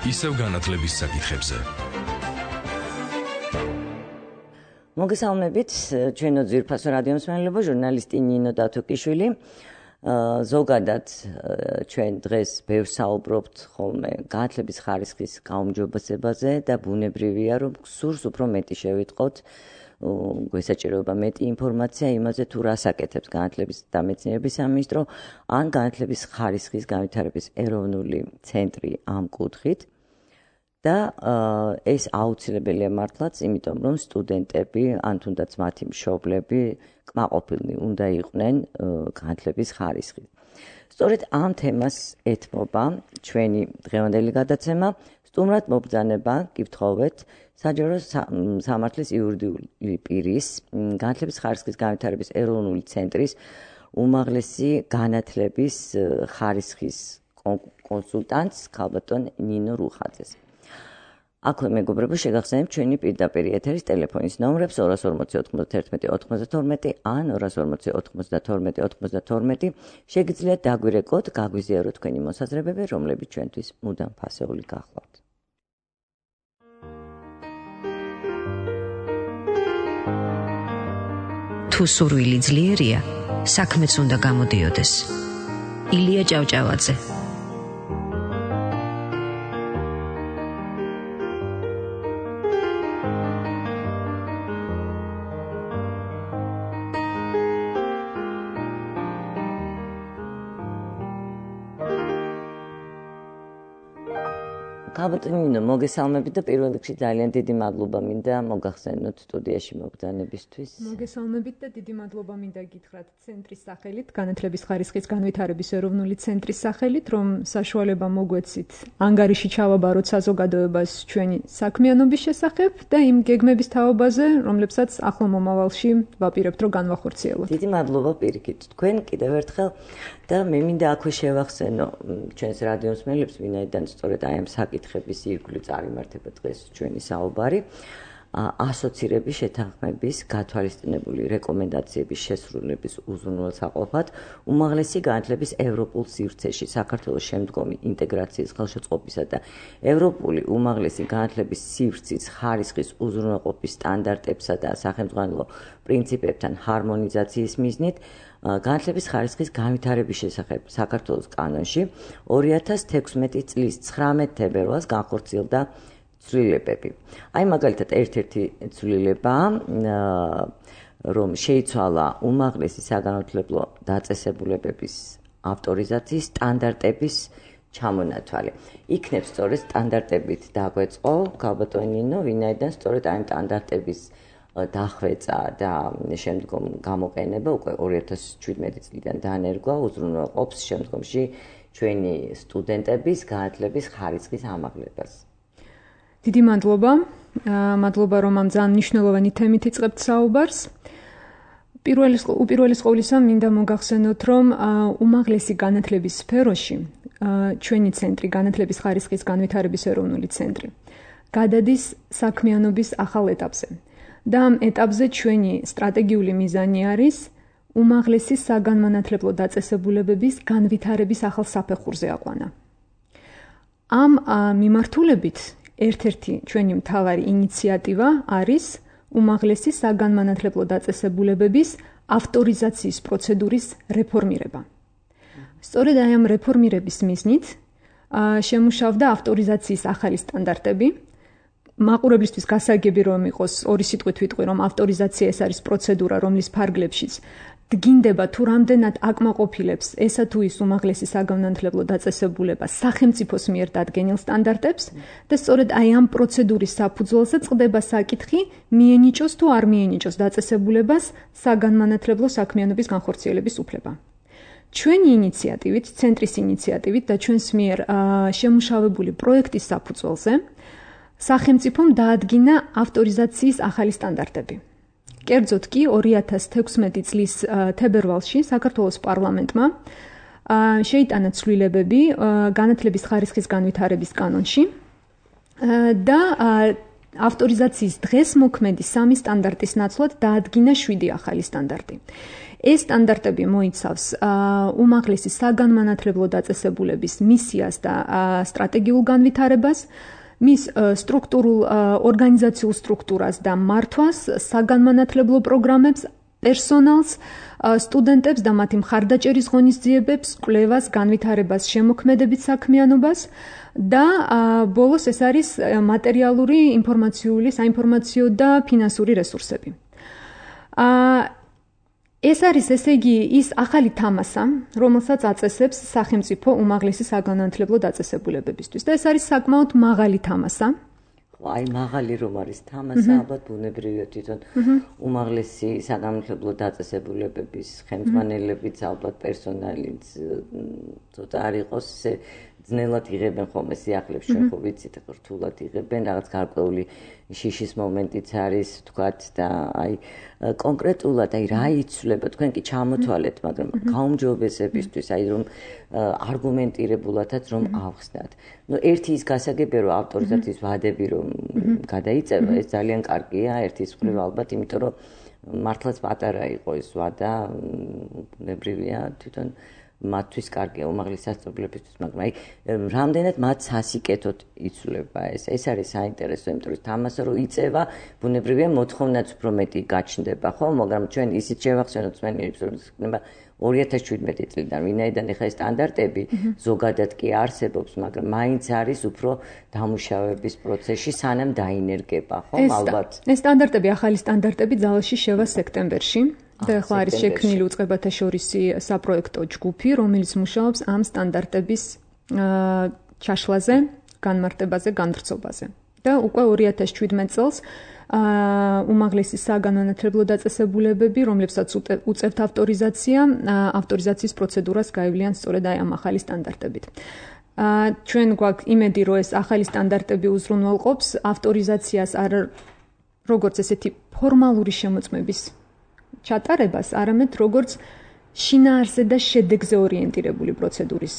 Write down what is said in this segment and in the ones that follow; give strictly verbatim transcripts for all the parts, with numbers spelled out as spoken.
ისევ განათლების საკითხებზე. მოგესალმებით, ჩვენო ძვირფასო რადიო მსმენელებო, ჟურნალისტი ნინო დათოკიშვილი. ზოგადად ჩვენ დღეს ბევრ საუბრობთ ხოლმე განათლების ხარისხის გაუმჯობესებაზე და ბუნებრივია, რომ გსურს უფრო მეტი შევიტყოთ, გვესაჭიროება მეტი ინფორმაცია იმაზე, თუ რას აკეთებს განათლების და მეცნიერების სამინისტრო ან განათლების ხარისხის განვითარების ეროვნული ცენტრი ამ კუთხით. და ეს აუცილებელია მართლაც, იმიტომ რომ სტუდენტები ან თუნდაც მათი მშობლები კმაყოფილნი უნდა იყვნენ განათლების ხარისხით. სწორედ ამ თემას ეთმობა ჩვენი დღევანდელი გადაცემა. სტუმრად მობრძანება გითხოვეთ საჯარო სამართლის იურიდიული პირის განათლების ხარისხის განვითარების ეროვნული ცენტრის უმაღლესი განათლების ხარისხის კონსულტანტს ქალბატონ ნინო რუხაძეს. აქვე მეგობრებო, შეგახსენებთ ჩვენი პირდაპირ ეთერის ტელეფონის ნომრებს ორას ორმოცი ოთხმოცდათერთმეტი ოთხმოცდათორმეტი ან ორას ორმოცი ოთხმოცდათორმეტი ოთხმოცდათორმეტი. შეგიძლიათ დაგვირეკოთ, გაგვიზიაროთ თქვენი მოსაზრებები, რომლებიც ჩვენთვის მუდამ ფასეული გახლავთ. თუ სურვილი ძლიერია, საქმეც უნდა გამოდიოდეს. ილია ჭავჭავაძე. ქალბატონ ნინო, მოგესალმებით და პირველ რიგში ძალიან დიდი მადლობა მინდა მოგახსენოთ სტუდიაში მობრძანებისთვის. მოგესალმებით და დიდი მადლობა მინდა გითხრათ ცენტრის სახელით, განათლების ხარისხის განვითარების ეროვნული ცენტრის სახელით, რომ საშუალება მოგვეცით ანგარიში ჩავაბაროთ საზოგადოებას ჩვენი საქმიანობის შესახებ და იმ გეგმების თაობაზე, რომლებსაც ახლო მომავალში ვაპირებთ, რომ განვახორციელოთ. დიდი მადლობა პირიქით თქვენ კიდევ ერთხელ და მე მინდა აქვე შევახსენო ჩვენს რადიო მსმენელებს, ვინაიდან სწორედ აი ამ საკითხების ირგვლივ წარიმართება დღეს ჩვენი საუბარი. ასოცირების შეთანხმების გათვალისწინებული რეკომენდაციების შესრულების უზრუნველსაყოფად უმაღლესი განათლების ევროპულ სივრცეში საქართველოს შემდგომი ინტეგრაციის ხელშეწყობისა და ევროპული უმაღლესი განათლების სივრცის ხარისხის უზრუნველყოფის სტანდარტებსა და სახელმძღვანელო პრინციპებთან ჰარმონიზაციის მიზნით განათლების ხარისხის განვითარების შესახებ საქართველოს კანონში ორი ათას თექვსმეტი წლის ცხრამეტ თებერვალს განხორციელდა ცვლილებები. აი მაგალითად ერთ-ერთი ცვლილება, რომ შეიცვალა უმაღლესი საგანმანათლებლო დაწესებულებების ავტორიზაციის სტანდარტების ჩამონათვალი. იქნებ სწორედ სტანდარტებით დაგვეწყო ქალბატონ ნინო, ვინაიდან სწორედ ამ სტანდარტების დახვეწა და შემდგომ გამოყენება უკვე ორი ათას ჩვიდმეტი წლიდან დაანერგვა, უზრუნველყოფს შემდგომში ჩვენი სტუდენტების განათლების ხარისხის ამაღლებას. დიდი მადლობა. მადლობა, რომ ამ ძალიან მნიშვნელოვანი თემით იწყებთ საუბარს. უპირველეს ყოვლისა მინდა მოგახსენოთ, რომ უმაღლესი განათლების სფეროში ჩვენი ცენტრი, განათლების ხარისხის განვითარების ეროვნული ცენტრი, გადადის საქმიანობის ახალ ეტაპზე. და ამ ეტაპზე ჩვენი სტრატეგიული მიზანი არის უმაღლესი საგანმანათლებლო დაწესებულებების განვითარების ახალ საფეხურზე აყვანა. ამ მიმართულებით ერთ-ერთი ჩვენი მთავარი ინიციატივა არის უმაღლესი საგანმანათლებლო დაწესებულებების ავტორიზაციის პროცედურის რეფორმირება. სწორედ აი ამ რეფორმირების მიზნით შემუშავდა ავტორიზაციის ახალი სტანდარტები. მაყურებლისთვის გასაგები რომ იყოს ორი სიტყვით ვიტყვი, რომ ავტორიზაცია ეს არის პროცედურა, რომლის ფარგლებშიც დგინდება თუ რამდენად აკმაყოფილებს ესა თუ ის უმაღლესი საგანმანათლებლო დაწესებულება სახელმწიფოს მიერ დადგენილ სტანდარტებს და სწორედ აი ამ პროცედურის საფუძველზე წყდება საკითხი მიენიჭოს თუ არ მიენიჭოს დაწესებულებას საგანმანათლებლო საქმიანობის განხორციელების უფლება. ჩვენი ინიციატივით, ცენტრის ინიციატივით და ჩვენს მიერ შემუშავებული პროექტის საფუძველზე სახელმწიფომ დაადგინა ავტორიზაციის ახალი სტანდარტები. კერძოდ კი ორი ათას თექვსმეტი წლის თებერვალში საქართველოს პარლამენტმა შეიტანა ცვლილებები განათლების ხარისხის განვითარების კანონში და ავტორიზაციის დღეს მოქმედი სამი სტანდარტის ნაცვლად დაადგინა შვიდი ახალი სტანდარტი. ეს სტანდარტები მოიცავს უმაღლესი საგანმანათლებლო დაწესებულების მისიას და სტრატეგიულ განვითარებას, მის სტრუქტურულ ორგანიზაციულ სტრუქტურას და მართვას, საგანმანათლებლო პროგრამებს, პერსონალს, სტუდენტებს და მათი მხარდაჭერის ღონისძიებებს, კვლევას, განვითარებას, შემოქმედებით საქმიანობას და ბოლოს ეს არის მატერიალური, ინფორმაციული, საინფორმაციო და ფინანსური რესურსები. ეს არის ესე იგი ის ახალი თამასა, რომელსაც აწესებს სახელმწიფო უმაღლესი საგანმანათლებლო დაწესებულებებისთვის და ეს არის საკმაოდ მაღალი თამასა. აი მაღალი რომ არის თამასა, ალბათ ბუნებრივია თვითონ უმაღლესი საგანმანათლებლო დაწესებულებების ხელმძღვანელებიც, ალბათ პერსონალიც ცოტა არ იყოს ესე ძნელად იღებენ ხოლმე სიახლეებს, ჩვენ ხო ვიცით, რთულად იღებენ, რაღაც გარკვეული შიშის მომენტიც არის, თქვათ და აი კონკრეტულად აი რა იცვლება, თქვენ კი ჩამოთვალეთ, მაგრამ გაუმჯობესებისთვის, აი რომ არგუმენტირებულადაც რომ ავხსნათ. ნუ ერთი ის გასაგებია, რომ ავტორიზაციის ვადები რომ გადაიწევა, ეს ძალიან კარგია, ერთის მხრივ ალბათ, იმიტომ რომ მართლაც პატარა იყო ეს ვადა, ბუნებრივია თვითონ მათთვის კარგია უმაღლესი სასწავლებლებისთვის, მაგრამ აი რამდენად მათ სასიკეთოდ იცვლება ეს. ეს არის საინტერესო, იმიტომ რომ თამასა რომ იწევა, ბუნებრივია მოთხოვნაც უფრო მეტი გაჩნდება, ხო? მაგრამ ჩვენ ისიც შევახსენოთ მსმენელებს, რომ იქნება ორი ათას შვიდმეტი წლიდან, ვინაიდან ეხლა ეს სტანდარტები ზოგადად კი არსებობს, მაგრამ მაინც არის უფრო დამუშავების პროცესში, სანამ დაინერგება, ხო? ალბათ. ეს სტანდარტები, ახალი სტანდარტები ძალაში შევა სექტემბერში. და ახლა არის შექმნილი უწყებათა შორისი საპროექტო ჯგუფი, რომელიც მუშაობს ამ სტანდარტების ჩაშლაზე, განმარტებაზე, განვრცობაზე. და უკვე ორი ათას შვიდმეტ წელს უმაღლესი საგანმანათლებლო დაწესებულებები, რომლებსაც უწევთ ავტორიზაცია, ავტორიზაციის პროცედურას გაივლიან სწორედ აი ამ ახალი სტანდარტებით. ჩვენ გვაქვს იმედი, რომ ეს ახალი სტანდარტები უზრუნველყოფს ავტორიზაციას არ როგორც ესეთი ფორმალური შემოწმების ჩატარებას, არამედ როგორც შინაარსზე და შედეგზე ორიენტირებული პროცედურის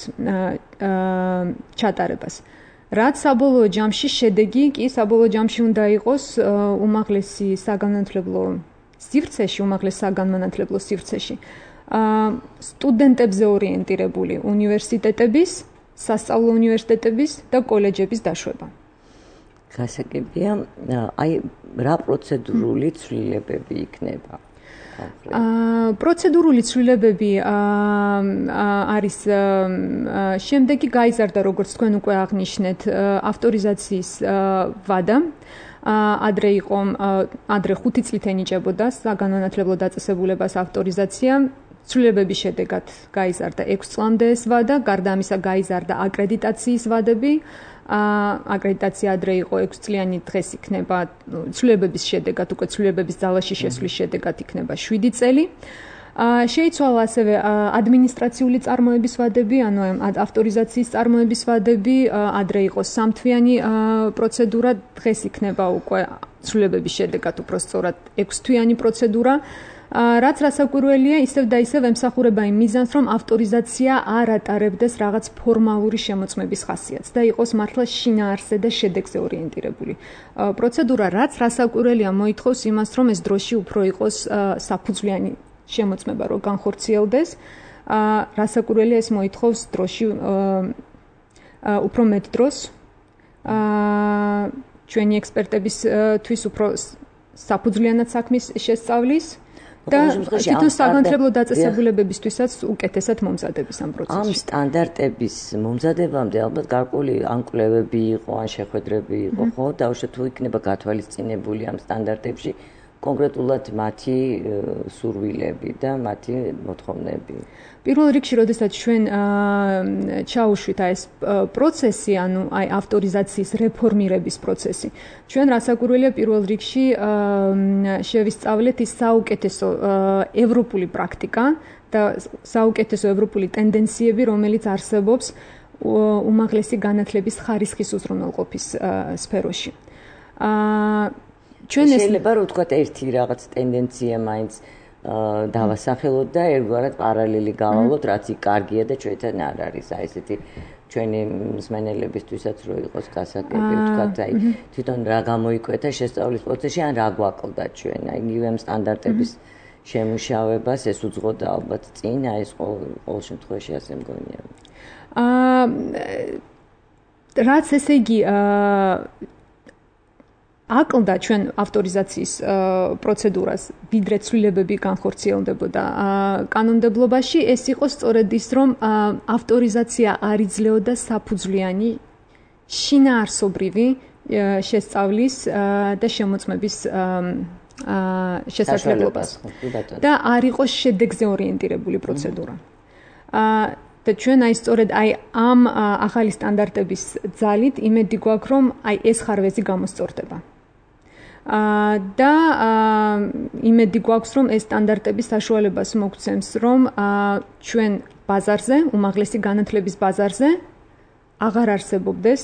ჩატარებას. რაც საბოლოო ჯამში შედეგი კი საბოლოო ჯამში უნდა იყოს უმაღლესი საგანმანათლებლო სივრცეში, უმაღლეს საგანმანათლებლო სივრცეში. სტუდენტებზე ორიენტირებული უნივერსიტეტების, სასწავლო უნივერსიტეტების და კოლეჯების დაშვება. გასაგებია, აი რა პროცედურული ცვლილებები იქნება? პროცედურული ცვლილებები არის შემდეგი გაიზარდა, როგორც თქვენ უკვე აღნიშნეთ, ავტორიზაციის ვადა. ადრე იყო, ადრე ხუთი წლით ენიჭებოდა საგანმანათლებლო დაწესებულებას ავტორიზაცია. ცვლილებების შედეგად გაიზარდა ექვს წლამდე ეს ვადა, გარდა ამისა გაიზარდა აკრედიტაციის ვადები. აკრედიტაცია ადრე იყო ექვს წლიანი, დღეს იქნება ცვლილებების შედეგად, უკვე ცვლილებების ძალაში შესვლის შედეგად იქნება შვიდი წელი. შეიცვალა ასევე ადმინისტრაციული წარმოების ვადები, ანუ ავტორიზაციის წარმოების ვადები, ადრე იყო სამთვიანი პროცედურა, დღეს იქნება უკვე ცვლილებების შედეგად უფრო სწორად ექვსთვიანი პროცედურა. რაც რასაკვირველია, ისევ და ისევ ემსახურება იმ მიზანს, რომ ავტორიზაცია არ ატარებდეს რაღაც ფორმალური შემოწმების ხასიათს და იყოს მართლა შინაარსზე და შედეგზე ორიენტირებული პროცედურა, რაც რასაკვირველია მოითხოვს იმას, რომ ეს დროში უფრო იყოს საფუძვლიანი შემოწმება, რომ განხორციელდეს. რასაკვირველია, ეს მოითხოვს დროში უფრო მეტ დროს. ჩვენი ექსპერტებისთვის უფრო საფუძვლიანად საქმის შესწავლის და თვითონ საგანმანათლებლო დაწესებულებებისთვისაც უკეთესად მომზადების ამ პროცესში. ამ სტანდარტების მომზადებამდე ალბათ გარკვეული ან კვლევები იყო, ან შეხვედრები იყო, ხო? დაუშვათ თუ იქნება გათვალისწინებული ამ სტანდარტებში კონკრეტულად მათი სურვილები და მათი მოთხოვნები. პირველ რიგში, როდესაც ჩვენ ჩაუშვით აი ეს პროცესი, ანუ აი ავტორიზაციის რეფორმირების პროცესი, ჩვენ რასაკვირველია პირველ რიგში შევისწავლეთ ის საუკეთესო ევროპული პრაქტიკა და საუკეთესო ევროპული ტენდენციები, რომელიც არსებობს უმაღლესი განათლების ხარისხის უზრუნველყოფის სფეროში. ჩვენ შეიძლება რომ ვთქვათ ერთი რაღაც ტენდენცია მაინც დავასახელოთ და ერთგვარად პარალელი გავალოთ, რაც იქ კარგია და ჩვენთან არ არის. აი ესეთი ჩვენი მსმენელებისთვისაც რო იყოს გასაგები, ვთქვათ, აი თვითონ რა გამოიკვეთა შესწავლის პროცესში, ან რა გვაკლდა ჩვენ, აი იგივე სტანდარტების შემუშავებას ეს უძღოდა ალბათ წინ, აი ეს ყოველ შემთხვევაში ასე მგონია. აა რაც ესე იგი აა აკლდა ჩვენ ავტორიზაციის პროცედურას, ვიდრე ცვლილებები განხორციელდებოდა კანონმდებლობაში, ეს იყო სწორედ ის, რომ ავტორიზაცია არ იძლეოდა საფუძვლიანი შინაარსობრივი შესწავლის და შემოწმების შესაძლებლობას და არ იყო შედეგზე ორიენტირებული პროცედურა. და ჩვენ აი სწორედ აი ამ ახალი სტანდარტების ძალით იმედი გვაქვს, რომ აი ეს ხარვეზი გამოსწორდება. და იმედი გვაქვს, რომ ეს სტანდარტები საშუალებას მოგცემს, რომ ჩვენ ბაზარზე, უმაღლესი განათლების ბაზარზე აღარ არსებობდეს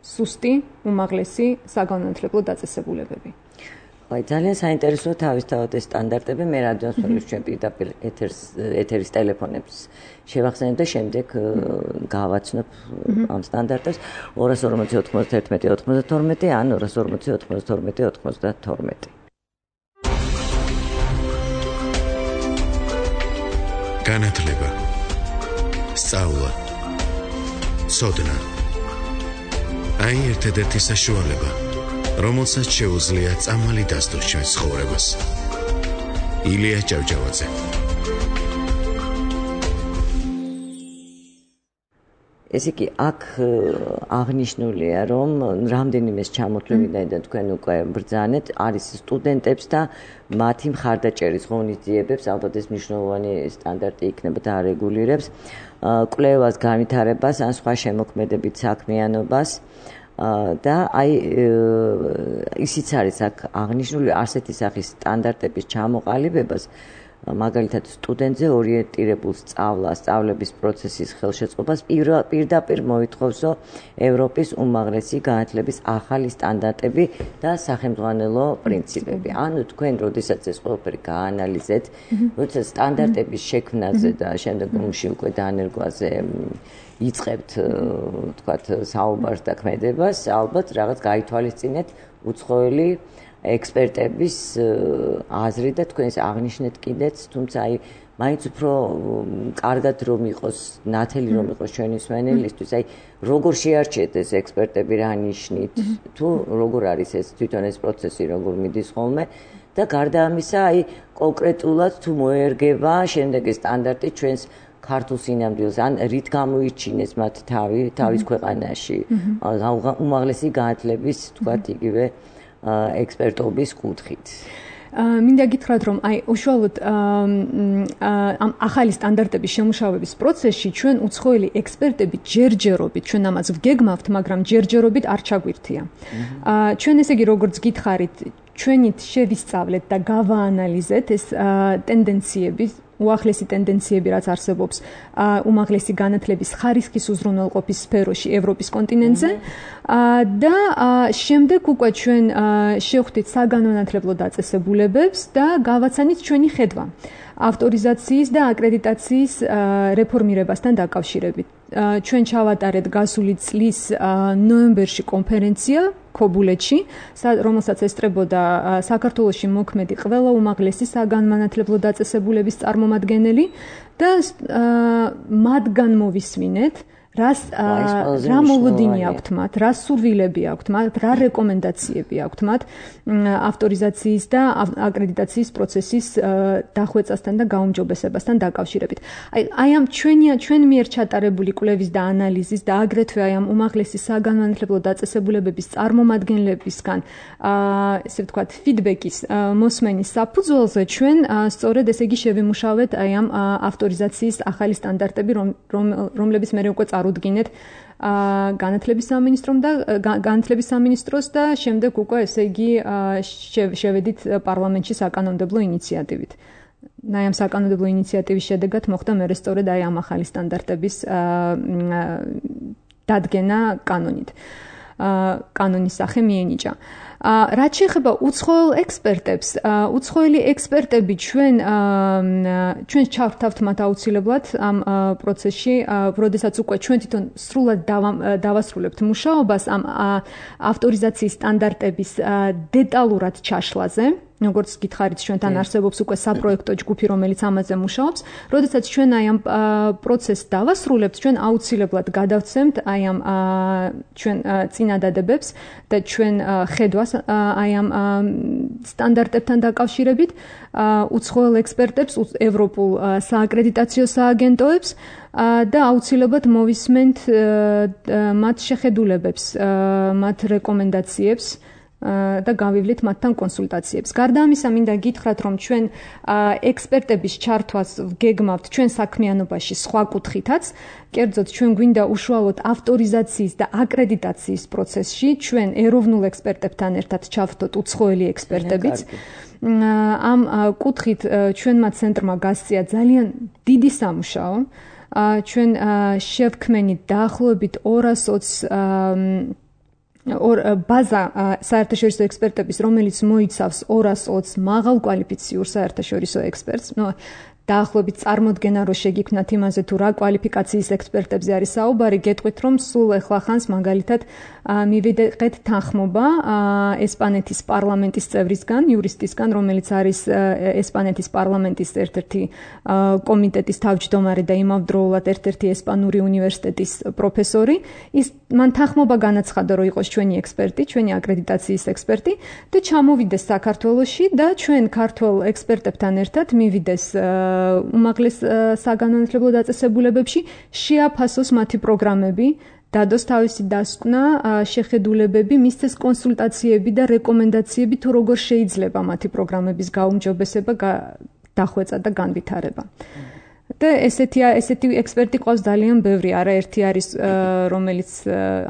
სუსტი უმაღლესი საგანმანათლებლო დაწესებულებები. აი ძალიან საინტერესოა თავისთავად ეს სტანდარტები, მე რადიოს ფორუმის ჩვენ პირდაპირ ეთერს ეთერის ტელეფონებს შევახსენებ და შემდეგ გავაცნობ ამ სტანდარტებს ორას ორმოცი ოთხმოცდაერთმეტი ოთხმოცდათორმეტი ან ორას ორმოცი ოთხმოცდათორმეტი ოთხმოცდათორმეტი. განათლება, სწავლა, სოდნა. აი ერთადერთი საშუალება, რომელსაც შეუძლია წამალი დასდოს ჩვენს ცხოვრებას. ილია ჭავჭავაძე. ესე იგი, აქ აღნიშნულია, რომ რამდენიმეს ჩამოთვლილიდან და თქვენ უკვე ბრძანეთ, არის სტუდენტებს და მათი მხარდაჭერის ღონისძიებებს, ალბათ ეს მნიშვნელოვანი სტანდარტი იქნება და არეგულირებს კვლევას, განვითარებას ან სხვა შემოქმედებით საქმიანობას. და აი ისიც არის აქ აღნიშნული ასეთი სახის სტანდარტების ჩამოყალიბებას, მაგალითად სტუდენტზე ორიენტირებულ სწავლას, სწავლების პროცესის ხელშეწყობას პირდაპირ მოითხოვსო ევროპის უმაღლესი განათლების ახალი სტანდარტები და სახელმძღვანელო პრინციპები. ანუ თქვენ როდესაც ეს ყველაფერი გაანალიზეთ, როდესაც სტანდარტების შექმნაზე და შემდეგ ომში უკვე დანერგვაზე იწყებთ, თქვათ, საუბარს და ქმედებას, ალბათ რაღაც გაითვალისწინეთ უცხოელი ექსპერტების აზრი და თქვენ ეს აღნიშნეთ კიდეც, თუმცა აი მაინც უფრო კარგად რომ იყოს, ნათელი რომ იყოს ჩვენი მსმენელისთვის, აი როგორ შეარჩიეთ ეს ექსპერტები რა ნიშნით, თუ როგორ არის ეს თვითონ ეს პროცესი, როგორ მიდის ხოლმე და გარდა ამისა, აი კონკრეტულად თუ მოერგება შემდეგი სტანდარტი ჩვენს ქართულ სინამდვილეს, ან რით გამოიჩინეს მათ თავი, თავის ქვეყანაში, უმაღლესი განათლების, თქვათ, იგივე ექსპერტობის კუთხით. მინდა გითხრათ, რომ აი უშუალოდ ამ ახალი სტანდარტების შემუშავების პროცესში ჩვენ უცხოელი ექსპერტები ჯერჯერობით, ჩვენ ამას ვგეგმავთ, მაგრამ ჯერჯერობით არ ჩაგვირთია. ჩვენ ესე იგი როგორც გითხარით, ჩვენით შევისწავლეთ და გავაანალიზეთ ეს ტენდენციები, უახლესი ტენდენციები, რაც არსებობს უმაღლესი განათლების ხარისხის უზრუნველყოფის სფეროში ევროპის კონტინენტზე და შემდეგ უკვე ჩვენ შევხვდით საგანმანათლებლო დაწესებულებებს და გავაცანით ჩვენი ხედვა ავტორიზაციის და აკრედიტაციის რეფორმირებასთან დაკავშირებით. ჩვენ ჩავატარეთ გასული წლის ნოემბერში კონფერენცია ქობულეთში, რომელსაც ესწრებოდა საქართველოში მოქმედი ყველა უმაღლესი საგანმანათლებლო დაწესებულების წარმომადგენელი და მათგან მოვისმინეთ, რას რა მოლოდინი აქვთ მათ, რა სურვილები აქვთ მათ, რა რეკომენდაციები აქვთ მათ ავტორიზაციის და აკრედიტაციის პროცესის დახვეწასთან და გაუმჯობესებასთან დაკავშირებით. აი აი ამ ჩვენი ჩვენ მიერ ჩატარებული კვლევის და ანალიზის და აგრეთვე აი ამ უმაღლესი საგანმანათლებლო დაწესებულებების წარმომადგენლებისგან ესე ვთქვათ ფიდბექის მოსმენის საფუძველზე ჩვენ სწორედ ესე იგი შევიმუშავეთ აი ამ ავტორიზაციის ახალი სტანდარტები, რომლებიც მე უკვე წარუდგინეთ განათლების სამინისტრომ და განათლების სამინისტროს და შემდეგ უკვე ესე იგი შევედით პარლამენტში საკანონმდებლო ინიციატივით. აი ამ საკანონმდებლო ინიციატივის შედეგად მოხდა მერე სწორედ აი ამ ახალი სტანდარტების დადგენა კანონით. კანონის სახე მიენიჭა. რაც შეეხება უცხოელ ექსპერტებს, უცხოელი ექსპერტები ჩვენ ჩვენ ჩავთავთ მათ აუცილებლად ამ პროცესში, როდესაც უკვე ჩვენ თვითონ სრულად დავასრულებთ მუშაობას ამ ავტორიზაციის სტანდარტების დეტალურად ჩაშლაზე. როგორც გითხარით, ჩვენთან არსებობს უკვე საპროექტო ჯგუფი, რომელიც ამაზე მუშაობს. როდესაც ჩვენ აი ამ პროცესს დავასრულებთ, ჩვენ აუცილებლად გადავცემთ აი ამ ჩვენ წინადადებებს და ჩვენ ხედვას აი ამ სტანდარტებთან დაკავშირებით უცხოელ ექსპერტებს, ევროპულ სააკრედიტაციო სააგენტოებს და აუცილებლად მოვისმენთ მათ შეხედულებებს, მათ რეკომენდაციებს და გავივლით მათთან კონსულტაციებს. გარდა ამისა, მინდა გითხრათ, რომ ჩვენ ექსპერტების ჩართვას გეგმავთ ჩვენ საქმიანობაში სხვა კუთხითაც. კერძოდ, ჩვენ გვინდა უშუალოდ ავტორიზაციის და აკრედიტაციის პროცესში ჩვენ ეროვნულ ექსპერტებთან ერთად ჩავთოთ უცხოელი ექსპერტებიც. ამ კუთხით ჩვენმა ცენტრმა გასწია ძალიან დიდი სამუშაო. ჩვენ შევქმნით დაახლოებით ორას ოცი ორ ბაზა საერთაშორისო ექსპერტების, რომელიც მოიცავს ორას ოცი მაღალკვალიფიციურ საერთაშორისო ექსპერტს. ნუ დაახლოებით წარმოდგენა რო შეგიქმნათ იმაზე თუ რა კვალიფიკაციის ექსპერტებზე არის საუბარი, გეტყვით რომ სულ ახლა ხანს მაგალითად მივიდეთ თანხმობა ესპანეთის პარლამენტის წევრისგან, იურისტისგან, რომელიც არის ესპანეთის პარლამენტის ერთ-ერთი კომიტეტის თავმჯდომარე და იმავდროულად ერთ-ერთი ესპანური უნივერსიტეტის პროფესორი. ის მან თანხმობა განაცხადა, რომ იყოს ჩვენი ექსპერტი, ჩვენი აკრედიტაციის ექსპერტი და ჩამოვიდეს საქართველოში და ჩვენ ქართველ ექსპერტებთან ერთად მივიდეს უმაღლეს საგანმანათლებლო დაწესებულებებში, შეაფასოს მათი პროგრამები, დადოს თავისი დასკვნა, შეხედულებები, მისცეს კონსულტაციები და რეკომენდაციები თუ როგორ შეიძლება მათი პროგრამების გაუმჯობესება, დახვეწა და განვითარება. და ესეთი ესეთი ექსპერტი ყავს ძალიან ბევრი, არაერთი არის რომელიც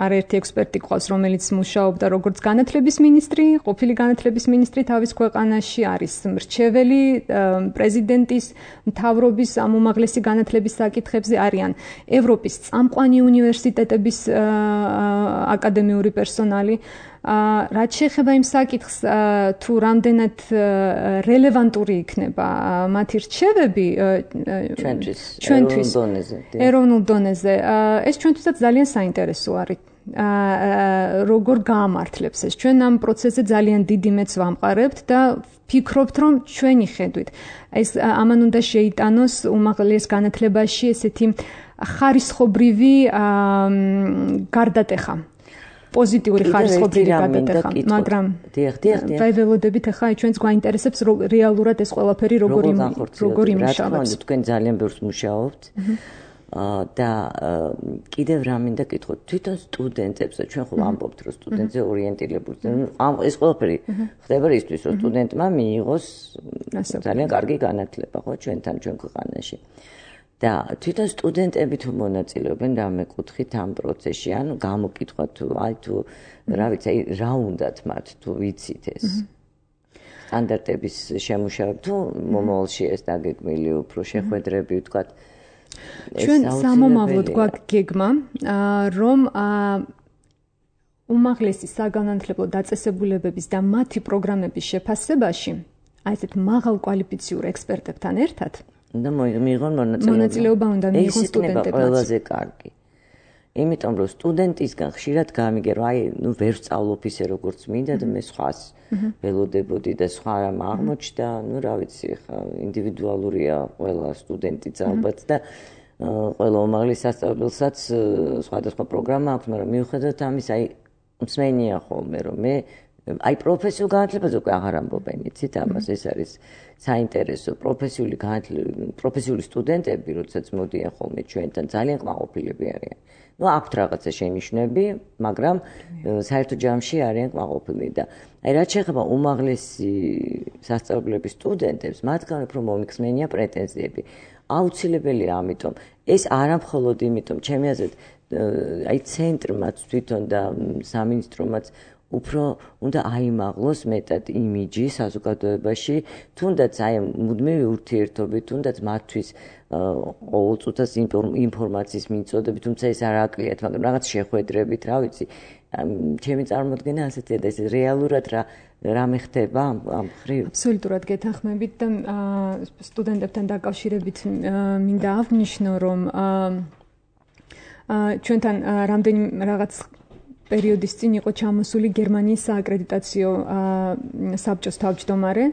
არაერთი ექსპერტი ყავს, რომელიც მუშაობდა როგორც განათლების მინისტრი, ყოფილი განათლების მინისტრი თავის ქვეყანაში, არის მრჩეველი პრეზიდენტის მთავრობის ამ უმაღლესი განათლების საკითხებზე, არიან ევროპის წამყვანი უნივერსიტეტების აკადემიური პერსონალი. რაც შეეხება იმ საკითხს, თუ რამდენად რელევანტური იქნება მათი რჩევები ჩვენთვის ეროვნულ დონეზე, ეს ჩვენთვისაც ძალიან საინტერესო არის. როგორ გაამართლებს ეს? ჩვენ ამ პროცესზე ძალიან დიდი მეც ვამყარებთ და ფიქრობთ, რომ ჩვენი ხედვით ეს ამან უნდა შეიტანოს უმაღლეს განათლებაში ესეთი ხარისხობრივი გარდატეხა. პოზიტიური ხარისხობრივი გადატეხა, მაგრამ აი ველოდებით ახლა ჩვენს გვაინტერესებს რეალურად ეს ყველაფერი როგორ როგორ იმუშავებს. თქვენ ძალიან ბევრს მუშაობთ და კიდევ რა მინდა გითხოთ, თვითონ სტუდენტებს, ჩვენ ხო ვამბობთ, რომ სტუდენტზე ორიენტირებული, ეს ყველაფერი ხდება ისთვის, რომ სტუდენტმა მიიღოს ძალიან კარგი განათლება, ხო, ჩვენთან ჩვენ ქვეყანაში. და თვითონ სტუდენტები თუ მონაწილეობენ რამე კუთხით ამ პროცესში, ანუ გამოკითხვა თუ აი თუ რა ვიცი, აი რა უნდათ მათ თუ ვიცით ეს სტანდარტების შემუშავება თუ მომავალში ეს დაგეგმილი უფრო შეხვედრები ვთქვათ. ჩვენ სამომავლოდ გვაქვს გეგმა, რომ უმაღლესი საგანმანათლებლო დაწესებულებების და მათი პროგრამების შეფასებაში აი ესეთ მაღალკვალიფიციურ ექსპერტებთან ერთად და მიიღონ მონაწილეობა. მონაწილეობა უნდა მიიღონ სტუდენტებმა. ყველაზე კარგი. იმიტომ რომ სტუდენტისგან ხშირად გამიგერო, აი, ნუ ვერ სწავლობ ისე როგორც მინდა და მე სხვას ველოდებოდი და სხვა რამ აღმოჩნდა, ნუ რა ვიცი, ხა ინდივიდუალურია ყველა სტუდენტიც ალბათ და ყველა უმაღლეს სასწავლებელსაც სხვადასხვა პროგრამა აქვს, მაგრამ მიუხედავად ამისა, აი, მსმენია ხოლმე რომ მე აი პროფესიულ განათლებაზე უკვე აღარ ამბობ, იცით ამას, ეს არის საინტერესო პროფესიული პროფესიული სტუდენტები, როდესაც მოდიან ხოლმე ჩვენთან, ძალიან კმაყოფილები არიან. ნუ აქვთ რაღაცა შენიშვნები, მაგრამ საერთო ჯამში არიან კმაყოფილები და აი რაც შეეხება უმაღლესი სასწავლებლების სტუდენტებს, მათგან უფრო მომიხსნენია პრეტენზიები. აუცილებელია ამიტომ, ეს არა მხოლოდ იმიტომ, ჩემი აზრით, აი ცენტრმაც თვითონ და სამინისტრომაც უფრო უნდა აიმაღლოს მეტად იმიჯი საზოგადოებაში, თუნდაც აი მუდმივი ურთიერთობით, თუნდაც მათთვის ყოველწუთას ინფორმაციის მიწოდებით, თუმცა ეს არ აკლიათ, მაგრამ რაღაც შეხვედრებით, რა ვიცი, ჩემი წარმოდგენა ასეთია და ეს რეალურად რა რამე ხდება ამ ხრივ? აბსოლუტურად გეთანხმებით და სტუდენტებთან დაკავშირებით მინდა აღნიშნო, რომ ჩვენთან რამდენი რაღაც პერიოდის წინ იყო ჩამოსული გერმანიის სააკრედიტაციო საბჭოს თავმჯდომარე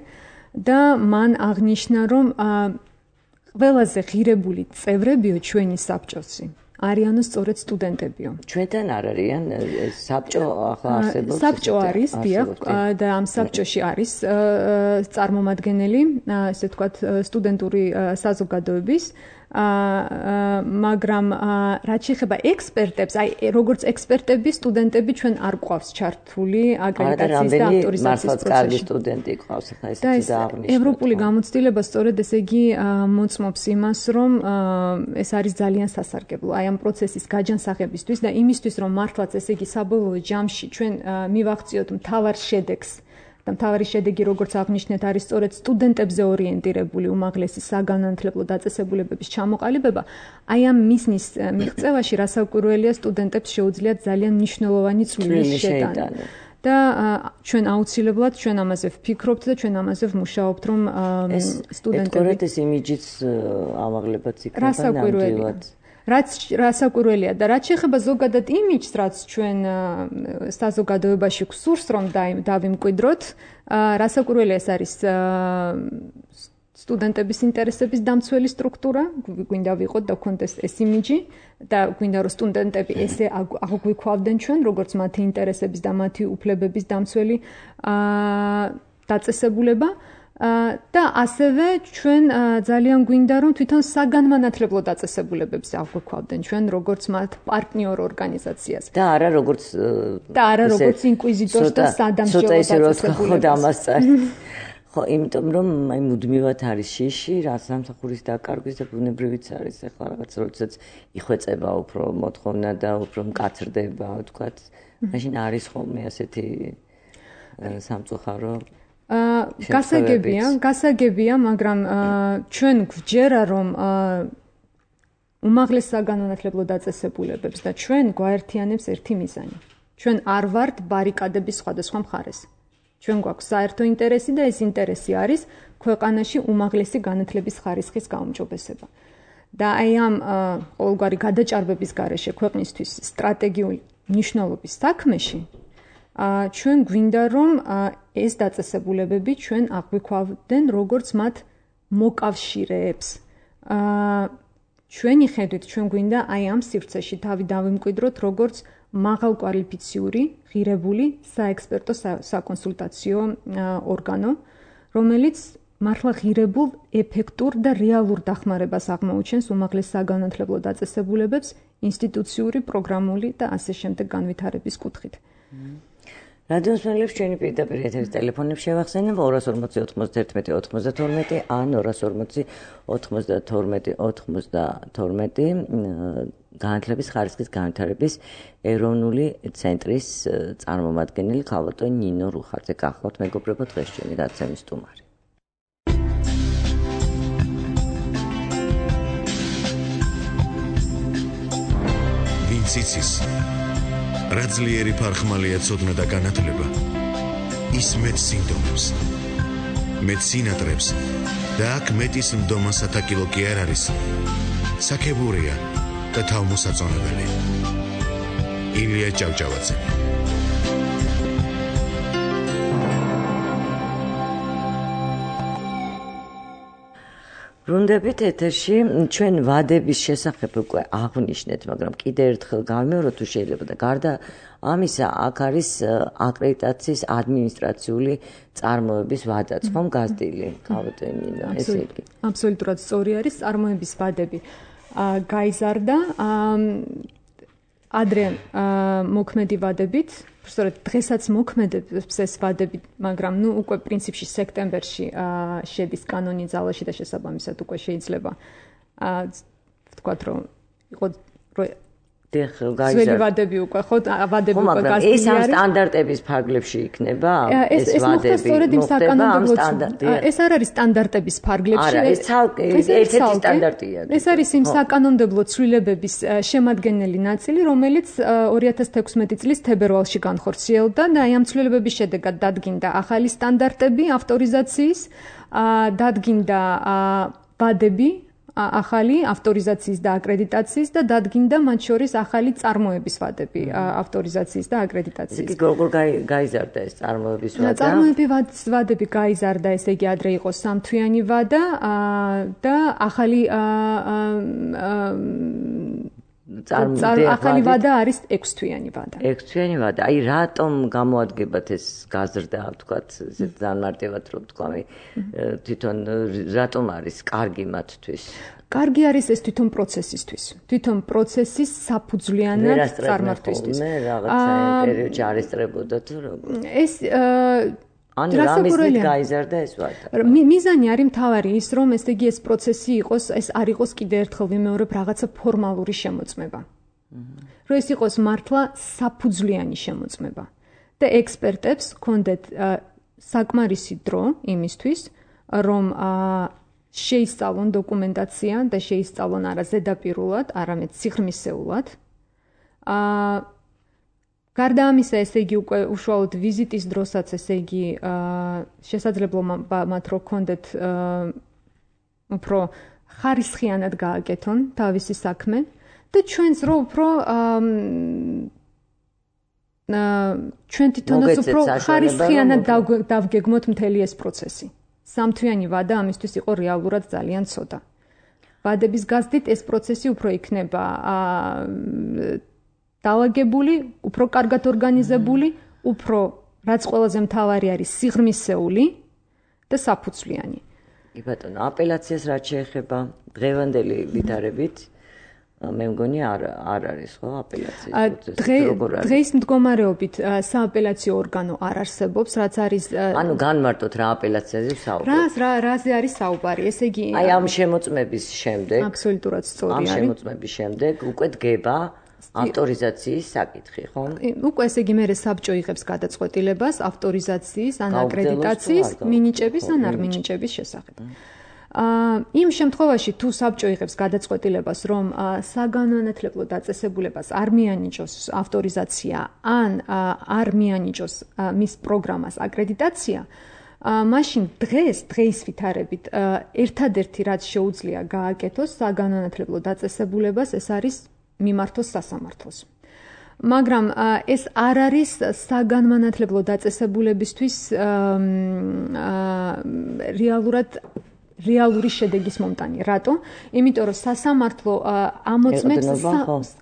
და მან აღნიშნა, რომ ყველაზე ღირებული წევრებიო ჩვენი საბჭოსი არიანო სწორედ სტუდენტებიო. ჩვენთან არ არიან საბჭო ახლა არსებობს? საბჭო არის, დიახ, და ამ საბჭოში არის წარმომადგენელი, ესე ვთქვათ, სტუდენტური საზოგადოების, მაგრამ რაც შეეხება ექსპერტებს, აი როგორც ექსპერტები, სტუდენტები ჩვენ არ გვყავს ჩართული აკრედიტაციის და ავტორიზაციის პროცესში. კარგი სტუდენტი ყავს ახლა ესეთი დააღნიშნოთ. ევროპული გამოცდილება სწორედ ესე იგი მოწმობს იმას, რომ ეს არის ძალიან სასარგებლო აი ამ პროცესის გაჯანსაღებისთვის და იმისთვის, რომ მართლაც ესე იგი საბოლოო ჯამში ჩვენ მივახციოთ მთავარ შედეგს და მთავარი შედეგი, როგორც აღნიშნეთ, არის სწორედ სტუდენტებზე ორიენტირებული უმაღლესი საგანმანათლებლო დაწესებულებების ჩამოყალიბება. აი ამ მიზნის მიღწევაში რასაკვირველია, სტუდენტებს შეუძლიათ ძალიან მნიშვნელოვანი წვლილი შეტანა. და ჩვენ აუცილებლად ჩვენ ამაზე ვფიქრობთ და ჩვენ ამაზე ვმუშაობთ, რომ სტუდენტები ეს იმიჯიც ამაღლებაც იქნება ნამდვილად. რაც რასაკვირველია და რაც შეეხება ზოგადად იმიჯს, რაც ჩვენ საზოგადოებაში გვსურს, რომ დავიმკვიდროთ, რასაკვირველია ეს არის სტუდენტების ინტერესების დამცველი სტრუქტურა, გვინდა ვიყოთ და გვქონდეს ეს იმიჯი და გვინდა რომ სტუდენტები ესე აღვიქვავდნენ ჩვენ, როგორც მათი ინტერესების და მათი უფლებების დამცველი დაწესებულება. და ასევე ჩვენ ძალიან გვინდა რომ თვითონ საგანმანათლებლო დაწესებულებებს აღვიქვავდნენ ჩვენ როგორც მათ პარტნიორ ორგანიზაციას და არა როგორც და არა როგორც ინკვიზიტორს და სადამსჯელო დაწესებულებას. ხო, იმიტომ რომ აი მუდმივად არის შიში, რა სამსახურის დაკარგვის და ბუნებრივიც არის ახლა რაღაც როდესაც იხვეწება უფრო მოთხოვნა და უფრო მკაცრდება, ვთქვათ, მაშინ არის ხოლმე ასეთი სამწუხარო გასაგებია, გასაგებია, მაგრამ ჩვენ გვჯერა რომ უმაღლეს საგანმანათლებლო დაწესებულებებს და ჩვენ გვაერთიანებს ერთი მიზანი. ჩვენ არ ვართ ბარიკადების სხვადასხვა მხარეს. ჩვენ გვაქვს საერთო ინტერესი და ეს ინტერესი არის ქვეყანაში უმაღლესი განათლების ხარისხის გაუმჯობესება. და აი ამ ყოველგვარი გადაჭარბების გარეშე ქვეყნისთვის სტრატეგიული მნიშვნელობის საქმეში ჩვენ გვინდა რომ ეს დაწესებულებები ჩვენ აღვიქვავდნენ როგორც მათ მოკავშირეებს. ჩვენი ხედვით ჩვენ გვინდა აი ამ სივრცეში თავი დავიმკვიდროთ როგორც მაღალკვალიფიციური, ღირებული საექსპერტო საკონსულტაციო ორგანო, რომელიც მართლა ღირებულ, ეფექტურ და რეალურ დახმარებას აღმოუჩენს უმაღლეს საგანმანათლებლო დაწესებულებებს ინსტიტუციური, პროგრამული და ასე შემდეგ განვითარების კუთხით. რადიოს მსმენელებს ჩვენი პირდაპირ ეთერის ტელეფონებს შევახსენებ ორას ორმოცი ოცდაერთმეტი ოცდათორმეტი ან ორას ორმოცი ოცდათორმეტი ოცდათორმეტი განათლების ხარისხის განვითარების ეროვნული ცენტრის წარმომადგენელი ქალბატონ ნინო რუხაძე. გახლავთ მეგობრებო დღეს ჩვენი გადაცემის სტუმარი. ვინც იცის რა ძლიერი ფარხმალია ცოდნა და განათლება, ის მეტ სინდომებს, მეტ სინატრებს და აქ მეტის მდომა სათაკილო კი არ არის, საქებურია და თავმოსაწონებელი. ილია ჭავჭავაძე. ბრუნდებით ეთერში, ჩვენ ვადების შესახებ უკვე აღვნიშნეთ, მაგრამ კიდევ ერთხელ გავიმეოროთ თუ შეიძლება და გარდა ამისა, აქ არის აკრედიტაციის ადმინისტრაციული წარმოების ვადაც, ხომ გაზრდილი, ქალბატონინო, ესე იგი. აბსოლუტურად სწორი არის, წარმოების ვადები გაიზარდა ადრე მოქმედი ვადებით, სწორედ დღესაც მოქმედებს ეს ვადები, მაგრამ ნუ უკვე პრინციპში სექტემბერში შედის კანონი ძალაში და შესაბამისად უკვე შეიძლება ვთქვათ რომ იყო ძველი ვადები უკვე ხო ვადები უკვე გასული არის. ეს ამ სტანდარტების ფარგლებში იქნება ეს ვადები. სწორედ იმ საკანონმდებლო ეს არ არის სტანდარტების ფარგლებში. არა, ეს ცალკე ერთ-ერთი სტანდარტია. ეს არის იმ საკანონმდებლო ცვლილებების შემადგენელი ნაწილი, რომელიც ორი ათას თექვსმეტი წლის თებერვალში განხორციელდა და აი ამ ცვლილებების შედეგად დადგინდა ახალი სტანდარტები ავტორიზაციის, დადგინდა ვადები ახალი ავტორიზაციის და აკრედიტაციის და დადგინდა მათ შორის ახალი წარმოების ვადები ავტორიზაციის და აკრედიტაციის. იგი როგორ გაიზარდა ეს წარმოების ვადა? წარმოები ვადები გაიზარდა, ესე იგი ადრე იყო სამთვიანი ვადა და ახალი ახალი ვადა არის ექვსთვიანი ვადა. ექვსთვიანი ვადა. აი რატომ გამოადგებათ ეს გაზრდა, თქვათ, ესე დამარტივად რომ თქვა, თვითონ რატომ არის კარგი მათთვის? კარგი არის ეს თვითონ პროცესისთვის. თვითონ პროცესის საფუძვლიანად წარმართვისთვის. მე რაღაცა პერიოდში არესტრებოდა თუ როგორ? ეს ანუ რამის გაიზარდა ეს ვადა? მიზანი არის მთავარი ის, რომ ესე იგი ეს პროცესი იყოს, ეს არ იყოს კიდე ერთხელ ვიმეორებ რაღაცა ფორმალური შემოწმება. რომ ეს იყოს მართლა საფუძვლიანი შემოწმება. და ექსპერტებს ჰქონდეთ საკმარისი დრო იმისთვის, რომ შეისწავლონ დოკუმენტაცია და შეისწავლონ არა ზედაპირულად, არამედ სიღრმისეულად. აა გარდა ამისა, ესე იგი უკვე უშუალოდ ვიზიტის დროსაც, ესე იგი შესაძლებლობა მათ რო ჰქონდეთ უფრო ხარისხიანად გააკეთონ თავისი საქმე და ჩვენც რო უფრო ჩვენ თვითონაც უფრო ხარისხიანად დავგეგმოთ მთელი ეს პროცესი. სამთვიანი ვადა ამისთვის იყო რეალურად ძალიან ცოტა. ვადების გაზრდით ეს პროცესი უფრო იქნება დაალაგებული, უფრო კარგად ორგანიზებული, უფრო რაც ყველაზე მთავარი არის სიღრმისეული და საფუძვლიანი. კი ბატონო, აპელაციას რაც შეეხება დღევანდელი ვითარებით, მე მგონი არ არ არის ხო აპელაციის პროცესი როგორ არის? დღეს მდგომარეობით სააპელაციო ორგანო არ არსებობს, რაც არის ანუ განმარტოთ რა აპელაციაზე საუბარი. რას რა რაზე არის საუბარი? ესე იგი აი ამ შემოწმების შემდეგ აბსოლუტურად სწორი არის. ამ შემოწმების შემდეგ უკვე დგება ავტორიზაციის საკითხი, ხო? უკვე ესე იგი მერე საბჭო იღებს გადაწყვეტილებას ავტორიზაციის ან აკრედიტაციის მინიჭების ან არ მინიჭების შესახებ. იმ შემთხვევაში თუ საბჭო იღებს გადაწყვეტილებას, რომ საგანმანათლებლო დაწესებულებას არ მიანიჭოს ავტორიზაცია ან არ მიანიჭოს მის პროგრამას აკრედიტაცია, მაშინ დღეს დღეის ვითარებით ერთადერთი რაც შეუძლია გააკეთოს საგანმანათლებლო დაწესებულებას, ეს არის მიმართოს სასამართლოს. მაგრამ ეს არ არის საგანმანათლებლო დაწესებულებისთვის რეალურად რეალური შედეგის მომტანი. რატო? იმიტომ რომ სასამართლო ამოწმებს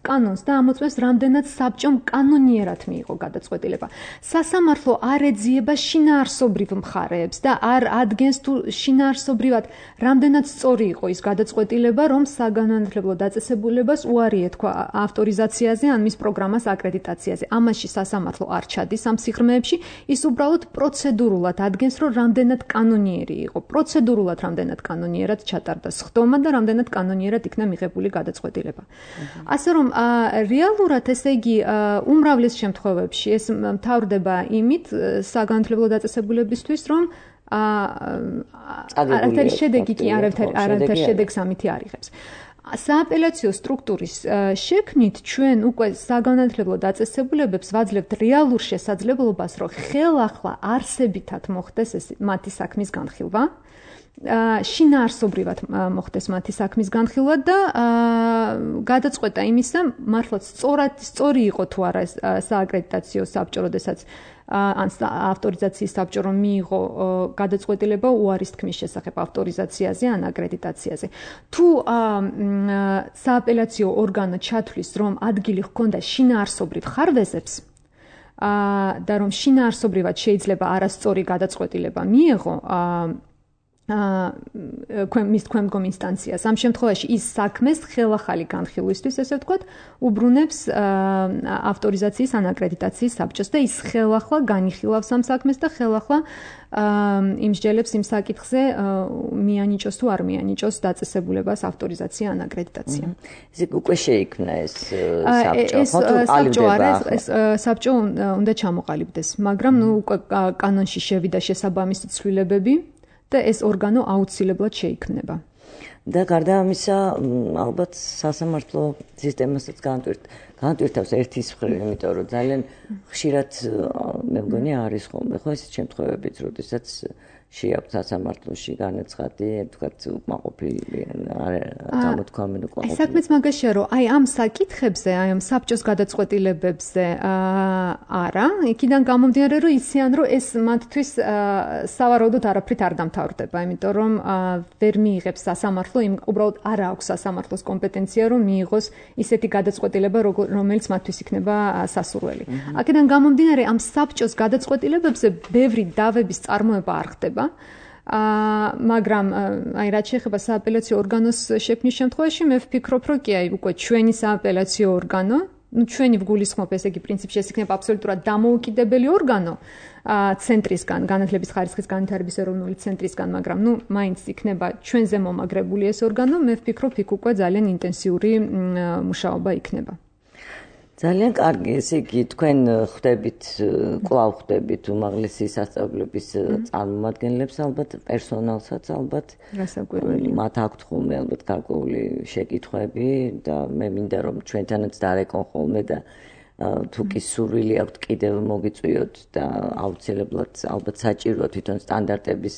კანონს და ამოწმებს რამდენად საბჭომ კანონიერად მიიღო გადაწყვეტილება. სასამართლო არ ეძიება შინაარსობრივ მხარეებს და არ ადგენს თუ შინაარსობრივად რამდენად სწორი იყო ის გადაწყვეტილება, რომ საგანმანათლებლო დაწესებულებას უარი ეთქვა ავტორიზაციაზე ან მის პროგრამას აკრედიტაციაზე. ამაში სასამართლო არ ჩადის ამ სიღრმეებში, ის უბრალოდ პროცედურულად ადგენს, რომ რამდენად კანონიერი იყო. პროცედურულად რამდენად კანონიერად ჩატარდა სხდომა და რამდენად კანონიერად იქნა მიღებული გადაწყვეტილება. ასე რომ რეალურად ესე იგი უმრავლეს შემთხვევებში ეს მთავრდება იმით საგანმანათლებლო დაწესებულებისთვის, რომ არათერი შედეგი კი არათერ შედეგს ამითი არ იღებს. სააპელაციო სტრუქტურის შექმნით ჩვენ უკვე საგანმანათლებლო დაწესებულებებს ვაძლევთ რეალურ შესაძლებლობას, რომ ხელახლა არსებითად მოხდეს ეს მათი საქმის განხილვა. შინაარსობრივად მოხდეს მათი საქმის განხილვა და გადაწყვეტა იმისა, მართლაც სწორად სწორი იყო თუ არა სააკრედიტაციო საბჭო, როდესაც ან ავტორიზაციის საბჭო რომ მიიღო გადაწყვეტილება უარის თქმის შესახებ ავტორიზაციაზე ან აკრედიტაციაზე. თუ სააპელაციო ორგანო ჩათვლის, რომ ადგილი ჰქონდა შინაარსობრივ ხარვეზებს და რომ შინაარსობრივად შეიძლება არასწორი გადაწყვეტილება მიიღო, აა მის ქვემდგომ ინსტანციას. ამ შემთხვევაში ის საქმეს ხელახალი განხილვისთვის, ესე ვთქვათ, უბრუნებს ავტორიზაციის ან აკრედიტაციის საბჭოს და ის ხელახლა განიხილავს ამ საქმეს და ხელახლა იმსჯელებს იმ საკითხზე მიანიჭოს თუ არ მიანიჭოს დაწესებულებას ავტორიზაცია ან აკრედიტაცია. ესე უკვე შეიქმნა ეს საბჭო, ხო თუ ყალიბდება? ეს საბჭო უნდა ჩამოყალიბდეს, მაგრამ ნუ უკვე კანონში შევიდა შესაბამისი ცვლილებები და ეს ორგანო აუცილებლად შეიქმნება. და გარდა ამისა, ალბათ სასამართლო სისტემასაც განტვირთავს ერთის მხრივ, იმიტომ რომ ძალიან ხშირად მე მგონი არის ხოლმე ხო ეს შემთხვევებიც, როდესაც შეაქვს სასამართლოში განაცხადი, თქვათ უკმაყოფილი გამოთქვამენ უკმაყოფილი. აი საქმეც მაგაშია, რომ აი ამ საკითხებზე, აი ამ საბჭოს გადაწყვეტილებებზე არა, იქიდან გამომდინარე, რომ იციან, რომ ეს მათთვის სავარაუდოდ არაფრით არ დამთავრდება, იმიტომ რომ ვერ მიიღებს სასამართლო, იმ უბრალოდ არ აქვს სასამართლოს კომპეტენცია, რომ მიიღოს ისეთი გადაწყვეტილება, რომელიც მათთვის იქნება სასურველი. აქედან გამომდინარე, ამ საბჭოს გადაწყვეტილებებზე ბევრი დავების წარმოება არ ხდება. აა მაგრამ აი რაც შეეხება სააპელაციო ორგანოს შექმნის შემთხვევაში მე ვფიქრობ რომ კი აი უკვე ჩვენი სააპელაციო ორგანო, ну ჩვენი ვგულისხმობ ესე იგი პრინციპში ეს იქნება აბსოლუტურად დამოუკიდებელი ორგანო აა ცენტრისგან, განათლების ხარისხის განვითარების ეროვნული ცენტრისგან, მაგრამ ну მაინც იქნება ჩვენზე მომაგრებული ეს ორგანო, მე ვფიქრობ იქ უკვე ძალიან ინტენსიური მუშაობა იქნება. ძალიან კარგი, ესე იგი თქვენ ხვდებით, კვლავ ხვდებით უმაღლესი სასწავლებლების წარმომადგენლებს, ალბათ პერსონალსაც, ალბათ მათ აქვთ ხოლმე ალბათ გარკვეული შეკითხვები და მე მინდა რომ ჩვენთანაც დარეკონ ხოლმე და თუ კი სურვილი აქვთ კიდევ მოგიწვიოთ და აუცილებლად ალბათ საჭიროა თვითონ სტანდარტების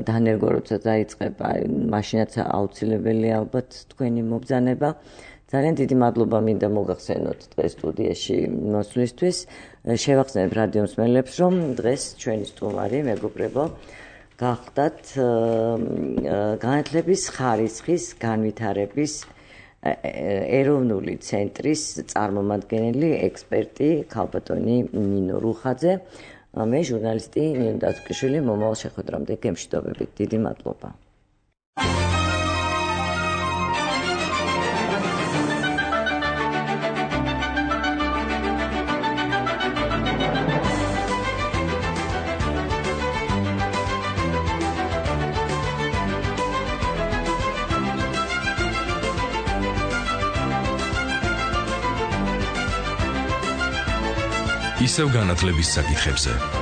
დანერგვა როცა დაიწყება, მაშინაც აუცილებელი ალბათ თქვენი მობრძანება. ძალიან დიდი მადლობა მინდა მოგახსენოთ დღეს სტუდიაში მოსვლისთვის. შევახსენებ რადიო მსმენელებს, რომ დღეს ჩვენი სტუმარი მეგობრებო გახდათ განათლების ხარისხის განვითარების ეროვნული ცენტრის წარმომადგენელი ექსპერტი ქალბატონი ნინო რუხაძე. მე ჟურნალისტი ნინო დათუკიშვილი მომავალ შეხვედრამდე გემშვიდობებით. დიდი მადლობა. ისევ განათლების საკითხებზე